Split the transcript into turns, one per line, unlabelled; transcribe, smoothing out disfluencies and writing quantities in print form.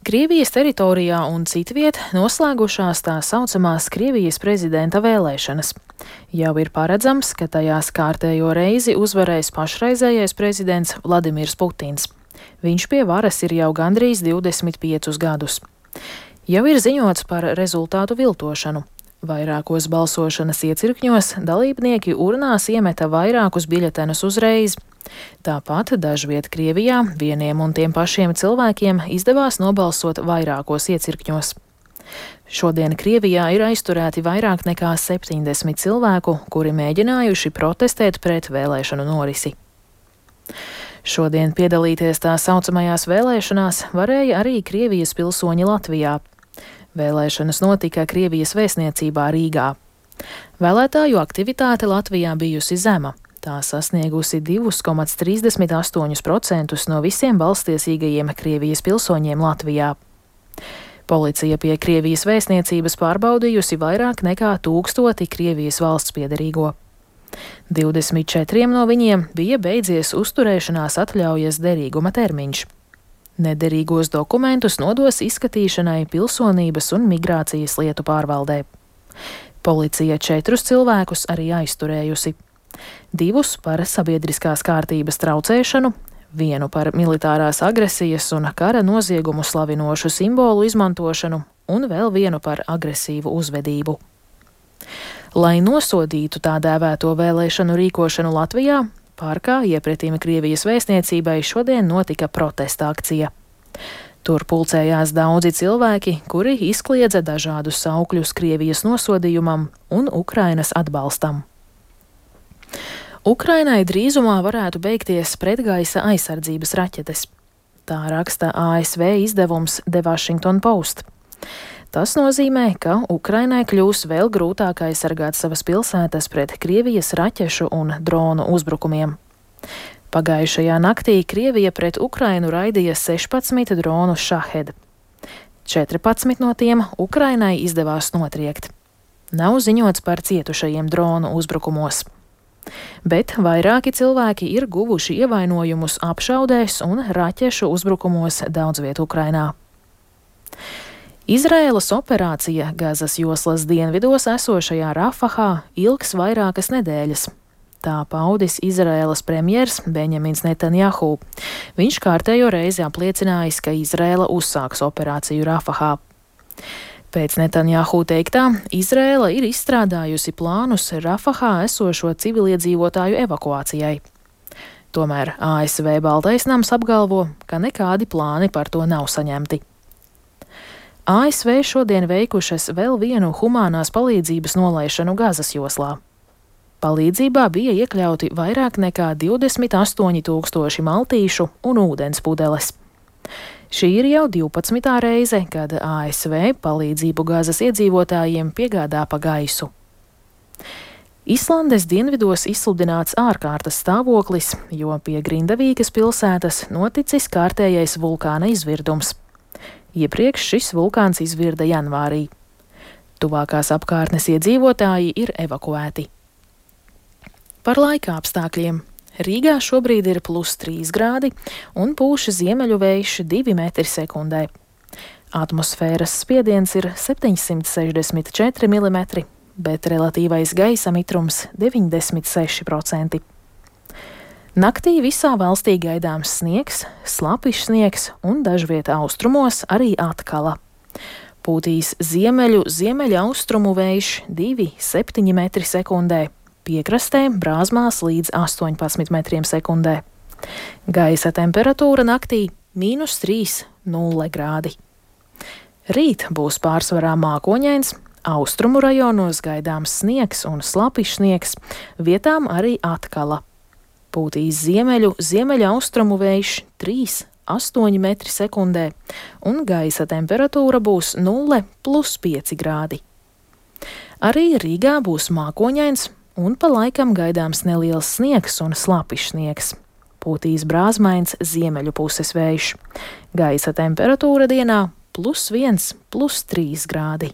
Krievijas teritorijā un citviet noslēgušās tā saucamās Krievijas prezidenta vēlēšanas. Jau ir paredzams, ka tajās kārtējo reizi uzvarēs pašreizējais prezidents Vladimirs Putins. Viņš pie varas ir jau gandrīz 25 gadus. Jau ir ziņots par rezultātu viltošanu. Vairākos balsošanas iecirkņos dalībnieki urnās iemeta vairākus biļetenus uzreiz. Tāpat dažviet Krievijā vieniem un tiem pašiem cilvēkiem izdevās nobalsot vairākos iecirkņos. Šodien Krievijā ir aizturēti vairāk nekā 70 cilvēku, kuri mēģinājuši protestēt pret vēlēšanu norisi. Šodien piedalīties tā saucamajās vēlēšanās varēja arī Krievijas pilsoņi Latvijā. Vēlēšanas notika Krievijas vēstniecībā Rīgā. Vēlētāju aktivitāte Latvijā bijusi zema. Tā sasniegusi 2,38% no visiem balstiesīgajiem Krievijas pilsoņiem Latvijā. Policija pie Krievijas vēstniecības pārbaudījusi vairāk nekā 1000 Krievijas valsts piederīgo. 24 no viņiem bija beidzies uzturēšanās atļaujas derīguma termiņš. Nederīgos dokumentus nodos izskatīšanai Pilsonības un migrācijas lietu pārvaldē. Policija 4 cilvēkus arī aizturējusi. 2 par sabiedriskās kārtības traucēšanu, 1 par militārās agresijas un kara noziegumu slavinošu simbolu izmantošanu un vēl 1 par agresīvu uzvedību. Lai nosodītu tā dēvēto vēlēšanu rīkošanu Latvijā, parkā iepretim Krievijas vēstniecībai šodien notika protesta akcija. Tur pulcējās daudzi cilvēki, kuri izkliedza dažādus saukļus Krievijas nosodījumam un Ukrainas atbalstam. Ukrainai drīzumā varētu beigties pretgaisa aizsardzības raķetes. Tā raksta ASV izdevums The Washington Post. Tas nozīmē, ka Ukrainai kļūs vēl grūtāk aizsargāt savas pilsētas pret Krievijas raķešu un dronu uzbrukumiem. Pagājušajā naktī Krievija pret Ukrainu raidīja 16 dronu Shahed. 14 no tiem Ukrainai izdevās notriekt. Nav ziņots par cietušajiem dronu uzbrukumos. Bet vairāki cilvēki ir guvuši ievainojumus apšaudēs un raķešu uzbrukumos daudzviet Ukrainā. Izraēlas operācija Gazas joslas dienvidos esošajā Rafahā ilgs vairākas nedēļas. Tā paudis Izraēlas premjers Benjamins Netanjahu. Viņš kārtējo reizi apliecinājis, ka Izraēla uzsāks operāciju Rafahā. Pēc Netanjahu teiktā, Izraēla ir izstrādājusi plānus Rafahā esošo civiliedzīvotāju evakuācijai. Tomēr ASV Baltais nams apgalvo, ka nekādi plāni par to nav saņemti. ASV šodien veikušas vēl vienu humānās palīdzības nolaišanu Gazas joslā. Palīdzībā bija iekļauti vairāk nekā 28 000 maltīšu un ūdens pudeles. Šī ir jau 12. reize, kad ASV palīdzību Gazas iedzīvotājiem piegādā pa gaisu. Islandes dienvidos izsludināts ārkārtas stāvoklis, jo pie Grindavīkas pilsētas noticis kārtējais vulkāna izvirdums. Iepriekš šis vulkāns izvirda janvārī. Tuvākās apkārtnes iedzīvotāji ir evakuēti. Par laika apstākļiem. Rīgā šobrīd ir +3 grādi un pūš ziemeļu vējš 2 m/sekundē. Atmosfēras spiediens ir 764 mm, bet relatīvais gaisa mitrums 96%. Naktī visā valstī gaidāms sniegs, slapjš sniegs un dažviet austrumos arī atkala. Pūtīs ziemeļaustrumu vējš 2,7 m/sekundē. Piekrastē brāzmās līdz 18 m/sekundē. Gaisa temperatūra naktī -3,0 grādi. Rīt būs pārsvarā mākoņains, austrumu rajonos gaidāms sniegs un slapjš sniegs, vietām arī atkala. Pūtīs ziemeļaustrumu vējš 3,8 m/sekundē un gaisa temperatūra būs 0+5 grādi. Arī Rīgā būs mākoņains, un pa laikam gaidāms neliels sniegs un slapjš sniegs. Pūtīs brāzmains ziemeļu puses vējš. Gaisa temperatūra dienā +1, +3 grādi.